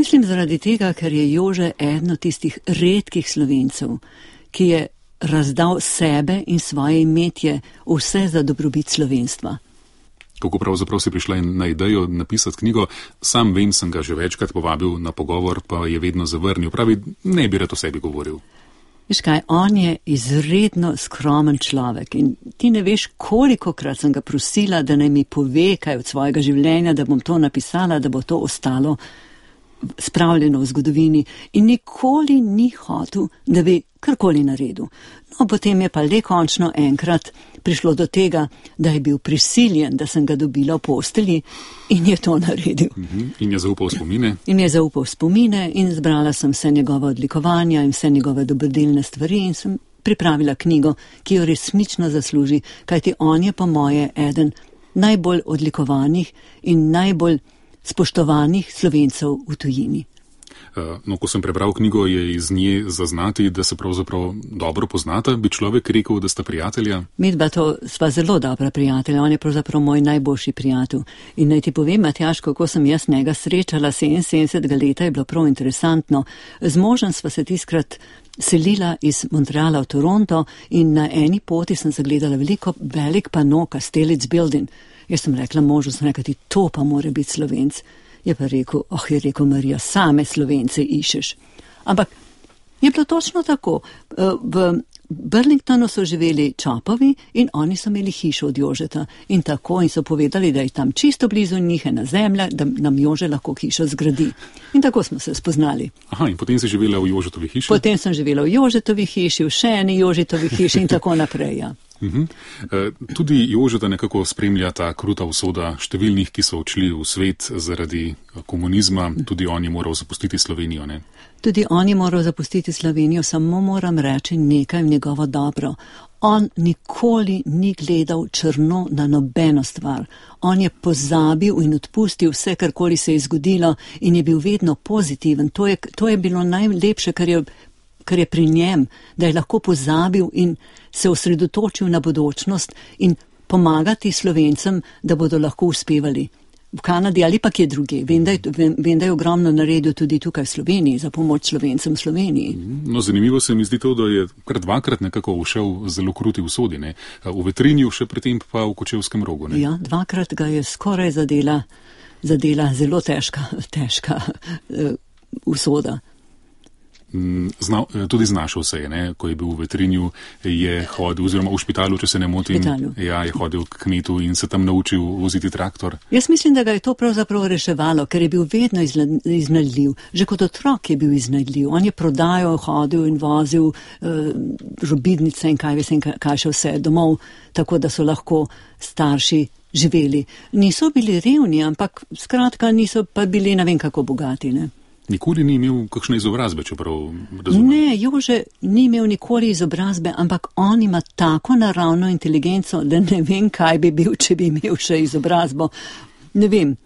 Mislim zaradi tega, ker je Jože eden od tistih redkih Slovencev, ki je razdal sebe in svoje imetje vse za dobrobit slovenstva. Kako pravzaprav si prišla na idejo napisati knjigo? Sam vem, sem ga že večkrat povabil na pogovor, pa je vedno zavrnil. Pravi, ne bi rad o sebi govoril. Veš kaj, on je izredno skromen človek in ti ne veš, kolikokrat sem ga prosila, da naj mi pove kaj od svojega življenja, da bom to napisala, da bo to ostalo spravljeno v zgodovini in nikoli ni hotel, da bi karkoli naredil. No, potem je pa le končno enkrat prišlo do tega, da je bil prisiljen, da sem ga dobila v postelji in je to naredil. In je zaupal spomine? In je zaupal spomine in zbrala sem vse njegove odlikovanja in vse njegove dobrodelne stvari in sem pripravila knjigo, ki jo resnično zasluži, kajti on je po moje eden najbolj odlikovanih in najbolj spoštovanih Slovencev v tujini. No, ko sem prebral knjigo, je iz nje zaznati, da se pravzaprav dobro poznata. Bi človek rekel, da sta prijatelja? Midva to sva zelo dobra prijatelja. On je pravzaprav moj najboljši prijatelj. In naj ti povem, Matjaž, kako sem jaz njega srečala 77 leta, je bilo prav interesantno. Z možem sva se tiskrat selila iz Montreala v Toronto in na eni poti sem zagledala velik pano Kastelic Building. Jaz sem rekla možu, ti to pa mora biti Slovenc. Je pa rekel, je rekel Marija, same Slovence išeš. Ampak je bilo točno tako. V Burlingtonu so živeli Čapovi in oni so imeli hišo od Jožeta. In tako in so povedali, da je tam čisto blizu njih ena zemlja, da nam Jože lahko hišo zgradi. In tako smo se spoznali. Aha, in potem si živela v Jožetovi hiši? Potem sem živela v Jožetovi hiši, v še eni Jožetovi hiši in tako naprej, ja. Tudi Jožeta nekako spremlja ta kruta usoda številnih, ki so odšli v svet zaradi komunizma. Tudi on je moral zapustiti Slovenijo, ne? Tudi on je moral zapustiti Slovenijo, samo moram reči nekaj v njegovo dobro. On nikoli ni gledal črno na nobeno stvar. On je pozabil in odpustil vse, karkoli se je zgodilo in je bil vedno pozitiven. To je bilo najlepše, kar je pri njem, da je lahko pozabil in se osredotočil na bodočnost in pomagati Slovencem, da bodo lahko uspevali v Kanadi ali pa kje druge. Vem, da je ogromno naredil tudi tukaj v Sloveniji za pomoč Slovencem v Sloveniji. No, zanimivo se mi zdi to, da je kar dvakrat nekako ušel zelo kruti usodi, ne? V Vetrinju, še predtem pa v Kočevskem Rogu, ne? Ja, dvakrat ga je skoraj zadela zelo težka usoda. Tudi znašel se je, ne? Ko je bil v Vetrinju, je hodil, oziroma v špitalu, če se ne motim, je hodil k kmetu in se tam naučil voziti traktor. Jaz mislim, da ga je to pravzaprav reševalo, ker je bil vedno iznajdljiv. Že kot otrok je bil iznajdljiv. On je prodajal, hodil in vozil robidnice in kaj še vse domov, tako da so lahko starši živeli. Niso bili revni, ampak skratka niso pa bili ne vem kako bogati, ne. Nikoli ni imel kakšne izobrazbe, čeprav razumem. Ne, Jože ni imel nikoli izobrazbe, ampak on ima tako naravno inteligenco, da ne vem, kaj bi bil, če bi imel še izobrazbo. Ne vem.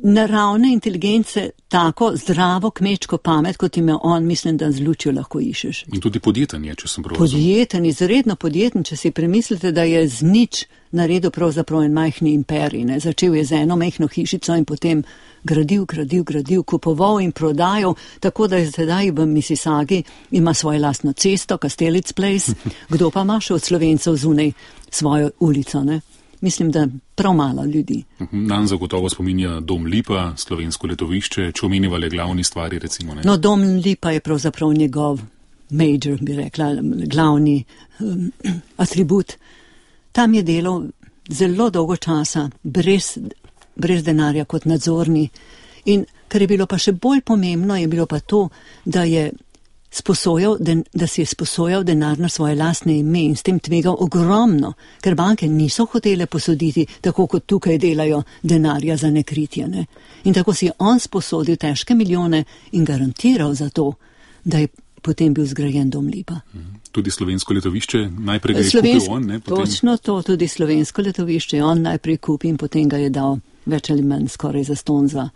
Naravne inteligence, tako zdravo kmečko pamet, kot ima on, mislim, da z lučjo lahko išeš. In tudi podjeten je, če sem prav razumel. Podjeten, izredno podjeten, če si premislite, da je z nič naredil pravzaprav en majhni imperij, ne. Začel je z eno majhno hišico in potem gradil, kupoval in prodajal, tako da je sedaj v Mississaugi ima svojo lastno cesto, Kastelic Place. Kdo pa ima še od Slovencev zunaj svojo ulico, ne? Mislim, da prav malo ljudi. Nam zagotovo spominja Dom Lipa, slovensko letovišče, če omenjava le glavni stvari, recimo, ne? No, Dom Lipa je pravzaprav njegov major, bi rekla, glavni atribut. Tam je delal zelo dolgo časa, brez denarja kot nadzorni. In kar je bilo pa še bolj pomembno, je bilo pa to, da si je sposojal denar na svoje lastne ime in s tem tvegal ogromno, ker banke niso hotele posoditi, tako kot tukaj delajo, denarja za nekritje, ne. In tako si je on sposodil težke milijone in garantiral za to, da je potem bil zgrajen Dom Lipa. Tudi slovensko letovišče, najprej ga je kupil on, ne? Potem... Točno to, tudi slovensko letovišče on najprej kupil in potem ga je dal več ali manj skoraj zastonj za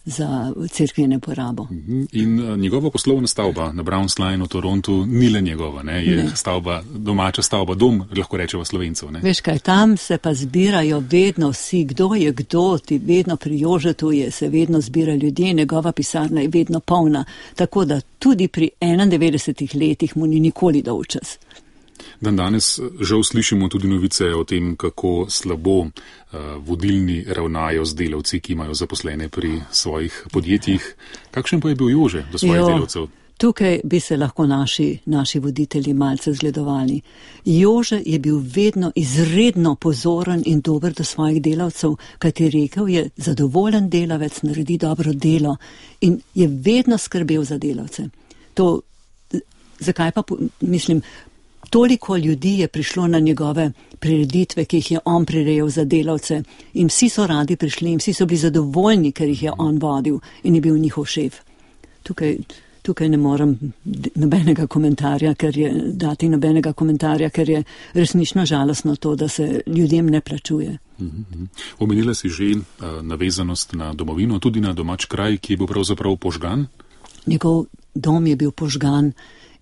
za cerkvene porabo. In njegova poslovna stavba na Browns Line v Torontu ni le njegova, ne? Je stavba, domača stavba, dom, lahko rečeva Slovencev. Ne? Veš kaj, tam se pa zbirajo vedno vsi, kdo je kdo, ti vedno pri Jožetu se vedno zbira ljudje, njegova pisarna je vedno polna, tako da tudi pri 91 letih mu ni nikoli dolgčas. Dan danes žal slišimo tudi novice o tem, kako slabo vodilni ravnajo z delavci, ki imajo zaposlene pri svojih podjetjih. Kakšen pa je bil Jože do svojih delavcev? Tukaj bi se lahko naši voditelji malce zgledovali. Jože je bil vedno izredno pozoren in dober do svojih delavcev, kajti rekel je, zadovoljen delavec naredi dobro delo in je vedno skrbel za delavce. Zakaj pa, mislim, toliko ljudi je prišlo na njegove prireditve, ki jih je on prirejal za delavce in vsi so radi prišli in vsi so bili zadovoljni, ker jih je on vodil in je bil njihov šef. Tukaj ne morem nobenega komentarja, ker je resnično žalostno to, da se ljudem ne plačuje. Omenila si že navezanost na domovino, tudi na domač kraj, ki je bil pravzaprav požgan? Njegov dom je bil požgan.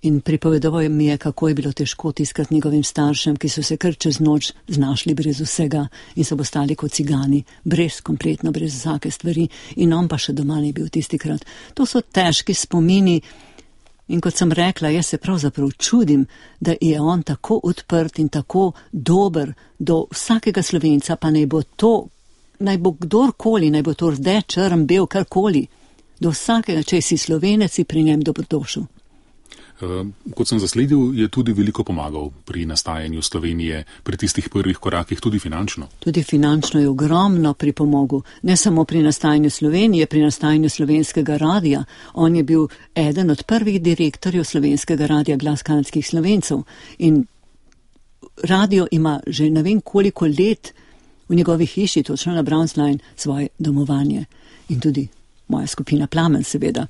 In pripovedoval mi je, kako je bilo težko tiskati njegovim staršem, ki so se kar čez noč znašli brez vsega in so postali kot cigani, kompletno brez vsake stvari in on pa še doma ni bil tistikrat. To so težki spomini in kot sem rekla, jaz se pravzaprav čudim, da je on tako odprt in tako dober do vsakega Slovenca, pa naj bo kdorkoli, naj bo to rdeč, črn, bel, karkoli, do vsakega, če si Slovenec, si pri njem dobrodošel. Kot sem zasledil, je tudi veliko pomagal pri nastajanju Slovenije, pri tistih prvih korakih, tudi finančno. Tudi finančno je ogromno pripomogel, ne samo pri nastajanju Slovenije, pri nastajanju Slovenskega radija. On je bil eden od prvih direktorjev Slovenskega radija Glas kanadskih Slovencev in radio ima že ne vem koliko let v njegovi hiši, točno na Browns Line, svoje domovanje. In tudi moja skupina Plamen, seveda.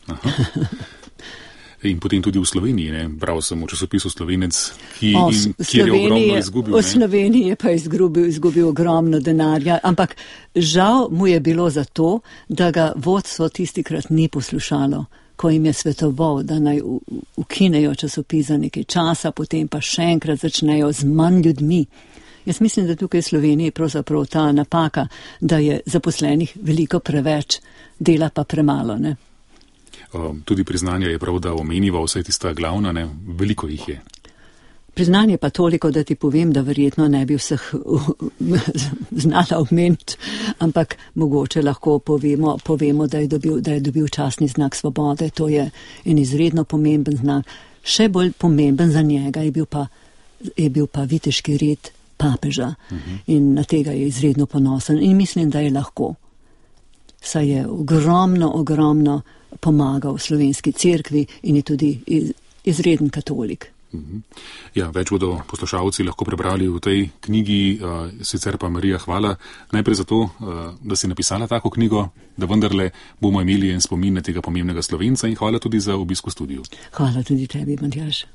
In potem tudi v Sloveniji, ne? Bral sem v časopisu Slovenec, kjer je ogromno izgubil. V Sloveniji je pa izgubil ogromno denarja, ampak žal mu je bilo zato, da ga vodstvo tistikrat ni poslušalo, ko jim je svetoval, da naj ukinejo časopis za nekaj časa, potem pa še enkrat začnejo z manj ljudmi. Jaz mislim, da tukaj v Sloveniji je pravzaprav ta napaka, da je zaposlenih veliko preveč, dela pa premalo, ne? Tudi priznanje je prav, da omeniva vse tista glavna, ne? Veliko jih je. Priznanje pa toliko, da ti povem, da verjetno ne bi vseh znala omeniti, ampak mogoče lahko povemo, da je dobil častni znak svobode. To je en izredno pomemben znak. Še bolj pomemben za njega je bil pa viteški red papeža in na tega je izredno ponosen in mislim, da je lahko. Saj je ogromno pomagal slovenski cerkvi in je tudi izreden katolik. Ja, več bodo poslušalci lahko prebrali v tej knjigi, sicer pa Marija, hvala najprej za to, da si napisala tako knjigo, da vendarle bomo imeli en spomin na tega pomembnega Slovenca in hvala tudi za obisk v studiu. Hvala tudi tebi, Matjaž.